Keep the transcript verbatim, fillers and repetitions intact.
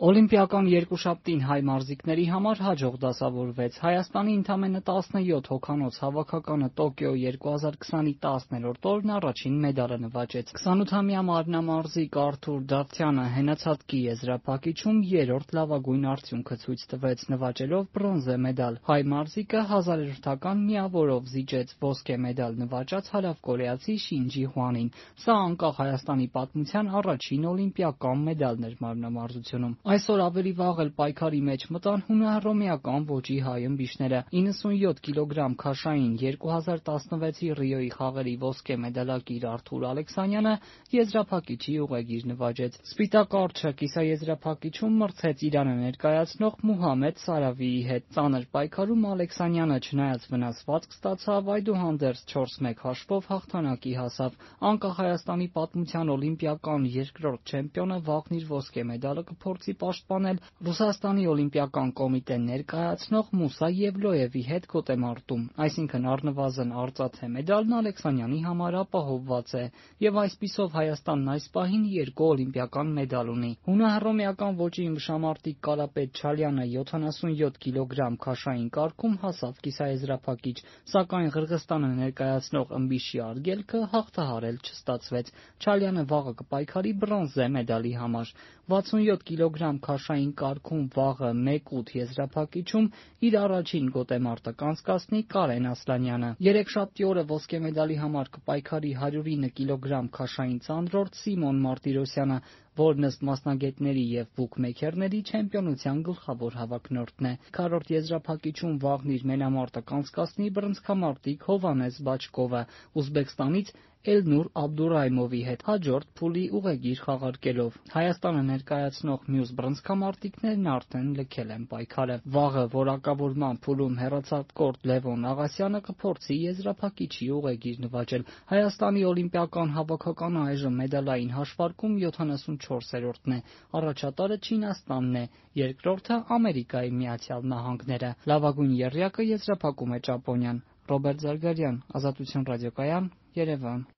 Օլիմպիական երկուշաբթին հայ մարզիկների համար հաջող դասավորվեց։ Հայաստանի ընդամենը տասնյոթ հոգանոց հավաքականը Տոկիո երկու հազար քսանի տասներորդ օրն առաջին մեդալը նվաճեց։ քսանութամյա մարմնամարզիկ Արթուր Դավթյանը հենացատկի եզրափակիչում երրորդ լավագույն արդյունքը ցույց տվեց՝ նվաճելով բրոնզե մեդալ։ Հայ մարզիկը հազարերորդական միավորով զիջեց ոսկե մեդալ նվաճած հարավկորեացի Շինջի Հուանին։ Սա անկախ Հայաստանի պատմության առաջին օլիմպիական մեդալն էր մարմնամարզությունում։ Այսօր ավելի վաղ էլ պայքարի մեջ մտան հունահռոմեական ոճի հայ ըմբիշները։ իննսունյոթ կիլոգրամ քաշային երկու հազար տասնվեցի Ռիոյի խաղերի ոսկե մեդալակիր Արթուր Ալեքսանյանը եզրափակիչի ուղեգիր նվաճեց։ Սպիտակ արջը կիսաեզրափակիչում մրցեց Իրանը ներկայացնող Մուհամեդ Սարավիի հետ։ Ծանր պայքարում Ալեքսանյանը, չնայած վնասվածք ստացավ, այդուհանդերձ չորս մեկ հաշվով հաղթանակի հասավ։ Անկախ Հայաստանի պատմության օլիմպիական երկրորդ չեմպիոնը վաղն իր ոսկե մեդալը կփորձի պաշտպանել Ռուսաստանի օլիմպիական կոմիտեն ներկայացնող Մուսա Եվլոևի հետ գոտեմարտում։ Այսինքն առնվազն արծաթե մեդալն Ալեքսանյանի համար ապահովված է, եւ այսպիսով Հայաստանն այս պահին երկու օլիմպիական մեդալ ունի։ Հունահռոմեական ոճի ըմբշամարտիկ Կարապետ Չալյանը յոթանասունյոթ կիլոգրամ քաշային կարգում հասավ կիսաեզրափակիչ, սակայն Ղրղըզստանը ներկայացնող ըմբիշի արգելքը հաղթահարել չստացվեց։ Չալյանը վաղը կպայքարի բրոնզե մեդալի համար։ վաթսունյոթ կիլոգրամ քաշային կարգում վաղը մեկ ութ եզրափակիչում իր առաջին գոտեմարտը կանցկացնի Կարեն Ասլանյանը։ Երեքշաբթի օրը ոսկե մեդալի համար կպայքարի հարյուր ինը կիլոգրամ քաշային ծանրորդ Սիմոն Մարտիրոսյանը, որն ըստ մասնագետների եւ բուքմեյքերների չեմպիոնության գլխավոր հավակնորդն է։ Քառորդ եզրափակիչում վաղն իր մենամարտը կանցկացնի բռնցքամարտիկ Հովհաննես Բաչկովը Ուզբեկստանից Էլնուր Աբդուրայմովի հետ հաջորդ փուլի ուղեգիր խաղարկելով։ Հայաստանը ներկայացնող մյուս բռնցքամարտիկներն արդեն լքել են պայքարը։ Վաղը որակավորման փուլում հեռացակորդ Լևոն Աղասյանը կփորձի եզրափակիչի ուղեգիր նվաճել։ Հայաստանի օլիմպիական հավաքականը այժմ մեդալային հաշվարկում յոթանասունչորսերորդն է։ Առաջատարը Չինաստանն է, երկրորդը Ամերիկայի Միացյալ Նահանգները։ Լավագույն եռյակը եզրափակում է Ճապոնիան։ Ռոբերտ Զարգարյան, Ազատություն ռադիոկայան, Երևան։